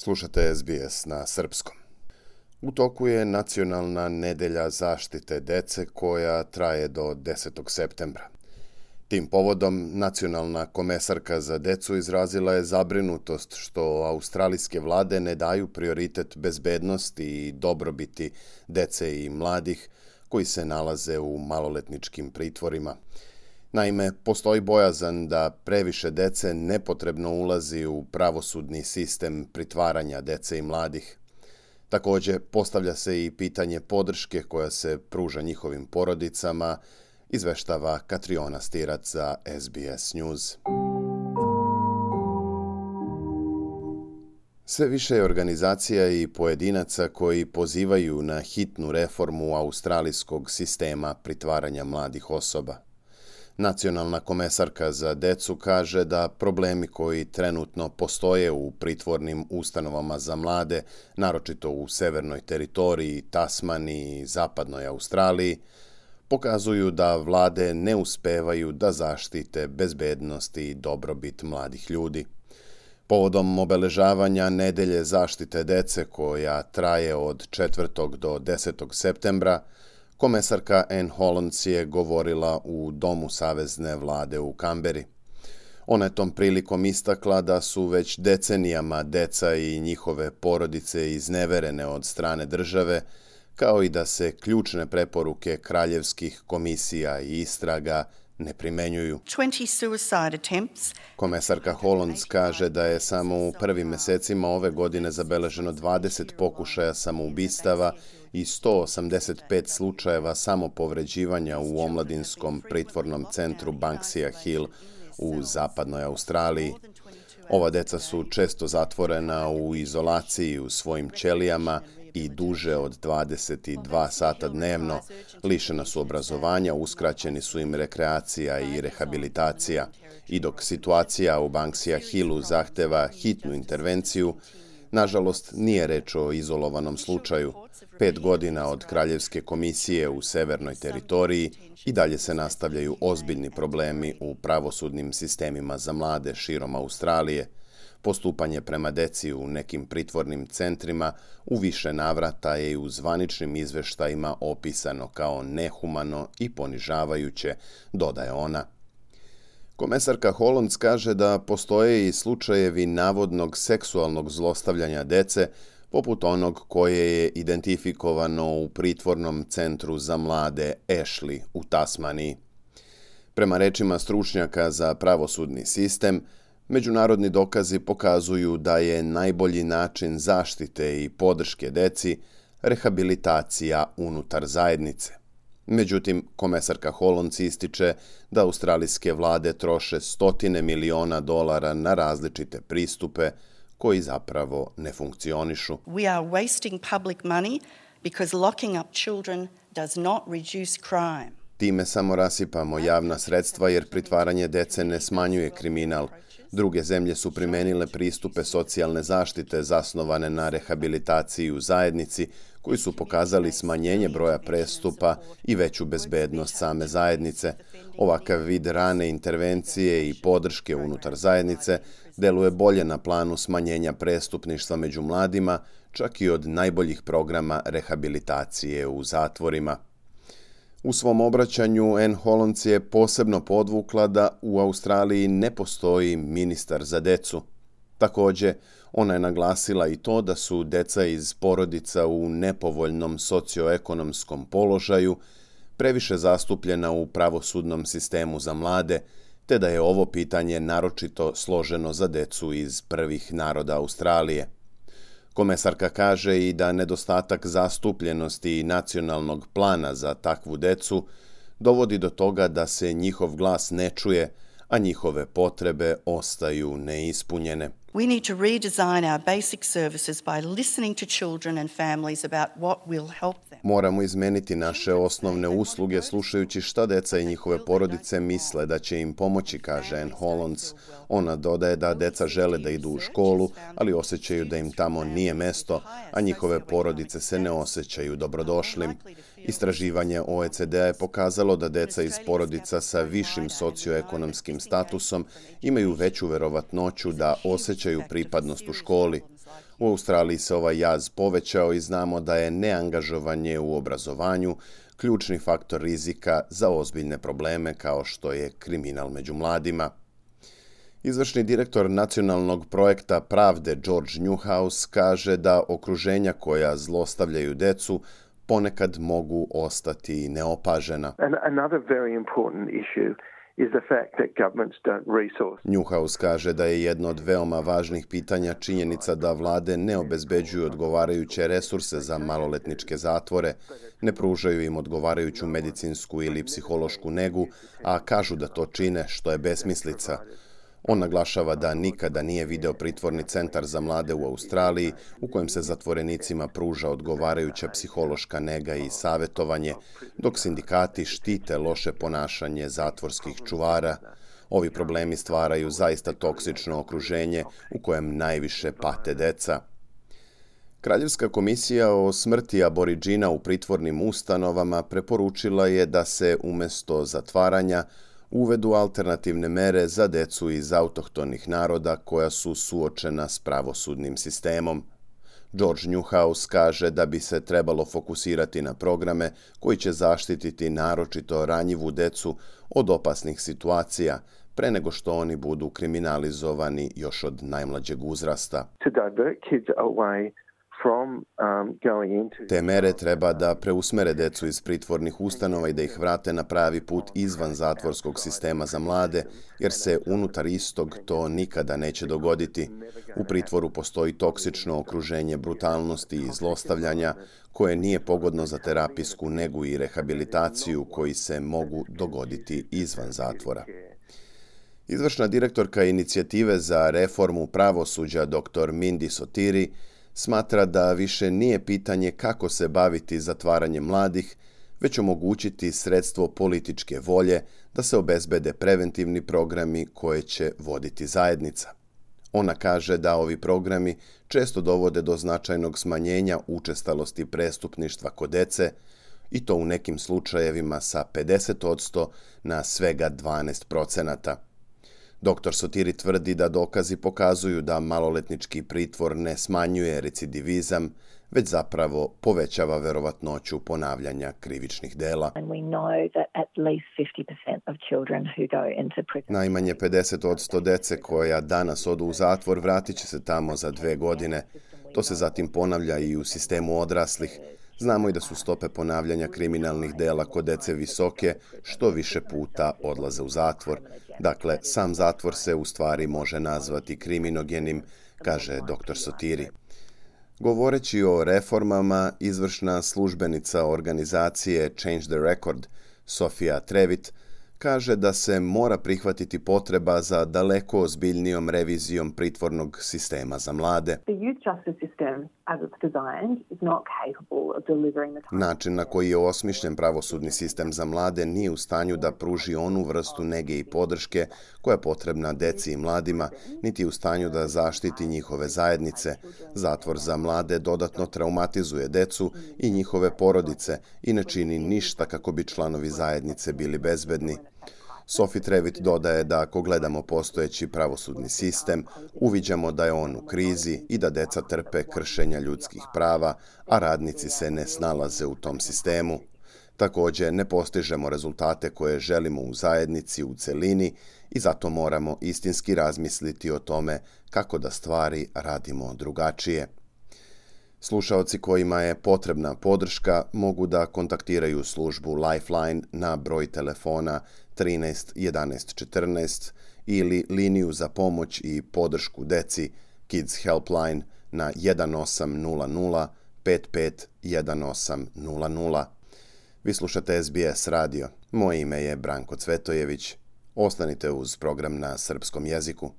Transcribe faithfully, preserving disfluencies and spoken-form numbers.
Slušate S B S na srpskom. U toku je Nacionalna nedelja zaštite dece koja traje do desetog septembra. Tim povodom nacionalna komesarka za decu izrazila je zabrinutost što australijske vlade ne daju prioritet bezbednosti i dobrobiti dece i mladih koji se nalaze u maloletničkim pritvorima. Naime, postoji bojazan da previše dece nepotrebno ulazi u pravosudni sistem pritvaranja dece i mladih. Također, postavlja se i pitanje podrške koja se pruža njihovim porodicama, izveštava Katriona Stirac za S B S News. Sve više je organizacija i pojedinaca koji pozivaju na hitnu reformu australijskog sistema pritvaranja mladih osoba. Nacionalna komesarka za decu kaže da problemi koji trenutno postoje u pritvornim ustanovama za mlade, naročito u severnoj teritoriji, Tasmaniji i zapadnoj Australiji, pokazuju da vlade ne uspevaju da zaštite bezbednost i dobrobit mladih ljudi. Povodom obeležavanja nedelje zaštite dece koja traje od četvrtog do desetog septembra, komesarka Anne Hollands je govorila u Domu savezne vlade u Kamberi. Ona je tom prilikom istakla da su već decenijama deca i njihove porodice izneverene od strane države, kao i da se ključne preporuke kraljevskih komisija i istraga ne primenjuju. Komesarka Hollands kaže da je samo u prvim mesecima ove godine zabeleženo dvadeset pokušaja samoubistava i sto osamdeset pet slučajeva samopovređivanja u omladinskom pritvornom centru Banksia Hill u zapadnoj Australiji. Ova deca su često zatvorena u izolaciji u svojim ćelijama i duže od dvadeset dva sata dnevno, lišena su obrazovanja, uskraćeni su im rekreacija i rehabilitacija. I dok situacija u Banksia Hillu zahteva hitnu intervenciju, nažalost nije reč o izolovanom slučaju. Pet godina od Kraljevske komisije u severnoj teritoriji i dalje se nastavljaju ozbiljni problemi u pravosudnim sistemima za mlade širom Australije. Postupanje prema deci u nekim pritvornim centrima u više navrata je i u zvaničnim izveštajima opisano kao nehumano i ponižavajuće, dodaje ona. Komesarka Hollands kaže da postoje i slučajevi navodnog seksualnog zlostavljanja dece, poput onog koje je identifikovano u pritvornom centru za mlade Ashley u Tasmaniji. Prema rečima stručnjaka za pravosudni sistem, međunarodni dokazi pokazuju da je najbolji način zaštite i podrške deci rehabilitacija unutar zajednice. Međutim, komesarka Hollands ističe da australijske vlade troše stotine miliona dolara na različite pristupe koji zapravo ne funkcionišu. We are wasting public money because locking up children does not reduce crime. Time samo rasipamo javna sredstva jer pritvaranje dece ne smanjuje kriminal. Druge zemlje su primenile pristupe socijalne zaštite zasnovane na rehabilitaciji u zajednici, koji su pokazali smanjenje broja prestupa i veću bezbednost same zajednice. Ovakav vid rane intervencije i podrške unutar zajednice deluje bolje na planu smanjenja prestupništva među mladima, čak i od najboljih programa rehabilitacije u zatvorima. U svom obraćanju Anne Hollands je posebno podvukla da u Australiji ne postoji ministar za decu. Također, ona je naglasila i to da su deca iz porodica u nepovoljnom socioekonomskom položaju previše zastupljena u pravosudnom sistemu za mlade, te da je ovo pitanje naročito složeno za decu iz prvih naroda Australije. Komesarka kaže i da nedostatak zastupljenosti i nacionalnog plana za takvu decu dovodi do toga da se njihov glas ne čuje, a njihove potrebe ostaju neispunjene. We need to redesign our basic services by listening to children and families about what will help them. Moramo izmeniti naše osnovne usluge slušajući šta deca i njihove porodice misle da će im pomoći, kaže Anne Hollands. Ona dodaje da deca žele da idu u školu, ali osjećaju da im tamo nije mesto, a njihove porodice se ne osjećaju dobrodošlim. Istraživanje O E C D-a je pokazalo da deca iz porodica sa višim socioekonomskim statusom imaju veću verovatnoću da osjećaju pripadnost u školi. U Australiji se ovaj jaz povećao i znamo da je neangažovanje u obrazovanju ključni faktor rizika za ozbiljne probleme kao što je kriminal među mladima. Izvršni direktor nacionalnog projekta pravde George Newhouse kaže da okruženja koja zlostavljaju decu ponekad mogu ostati neopažena. Newhouse kaže da je jedno od veoma važnih pitanja činjenica da vlade ne obezbeđuju odgovarajuće resurse za maloletničke zatvore, ne pružaju im odgovarajuću medicinsku ili psihološku negu, a kažu da to čine, što je besmislica. On naglašava da nikada nije video pritvorni centar za mlade u Australiji u kojem se zatvorenicima pruža odgovarajuća psihološka nega i savjetovanje, dok sindikati štite loše ponašanje zatvorskih čuvara. Ovi problemi stvaraju zaista toksično okruženje u kojem najviše pate deca. Kraljevska komisija o smrti Aboridžina u pritvornim ustanovama preporučila je da se umjesto zatvaranja uvedu alternativne mere za decu iz autohtonih naroda koja su suočena s pravosudnim sistemom. George Newhouse kaže da bi se trebalo fokusirati na programe koji će zaštititi naročito ranjivu decu od opasnih situacija, pre nego što oni budu kriminalizovani još od najmlađeg uzrasta. Te mere treba da preusmere decu iz pritvornih ustanova i da ih vrate na pravi put izvan zatvorskog sistema za mlade, jer se unutar istog to nikada neće dogoditi. U pritvoru postoji toksično okruženje brutalnosti i zlostavljanja koje nije pogodno za terapijsku negu i rehabilitaciju koji se mogu dogoditi izvan zatvora. Izvršna direktorka inicijative za reformu pravosuđa dr Mindy Sotiri smatra da više nije pitanje kako se baviti zatvaranjem mladih, već omogućiti sredstvo političke volje da se obezbede preventivni programi koje će voditi zajednica. Ona kaže da ovi programi često dovode do značajnog smanjenja učestalosti prestupništva kod dece, i to u nekim slučajevima sa pedeset posto na svega dvanaest procenata. doktor Sotiri tvrdi da dokazi pokazuju da maloletnički pritvor ne smanjuje recidivizam, već zapravo povećava verovatnoću ponavljanja krivičnih dela. Najmanje pedeset posto dece koja danas odu u zatvor vratit će se tamo za dve godine. To se zatim ponavlja i u sistemu odraslih. Znamo i da su stope ponavljanja kriminalnih dela kod dece visoke, što više puta odlaze u zatvor. Dakle, sam zatvor se u stvari može nazvati kriminogenim, kaže doktor Sotiri. Govoreći o reformama, izvršna službenica organizacije Change the Record, Sofia Trevit, kaže da se mora prihvatiti potreba za daleko ozbiljnijom revizijom pritvornog sistema za mlade. Način na koji je osmišljen pravosudni sistem za mlade nije u stanju da pruži onu vrstu nege i podrške koja je potrebna deci i mladima, niti u stanju da zaštiti njihove zajednice. Zatvor za mlade dodatno traumatizuje decu i njihove porodice i ne čini ništa kako bi članovi zajednice bili bezbedni. Sophie Trevit dodaje da ako gledamo postojeći pravosudni sistem, uviđamo da je on u krizi i da deca trpe kršenja ljudskih prava, a radnici se ne snalaze u tom sistemu. Također, ne postižemo rezultate koje želimo u zajednici u celini i zato moramo istinski razmisliti o tome kako da stvari radimo drugačije. Slušaoci kojima je potrebna podrška mogu da kontaktiraju službu Lifeline na broj telefona trinaest jedanaest četrnaest ili liniju za pomoć i podršku deci Kids Helpline na jedan osam nula nula pet pet jedan osam nula nula. Vi slušate S B S radio. Moje ime je Branko Cvetojević. Ostanite uz program na srpskom jeziku.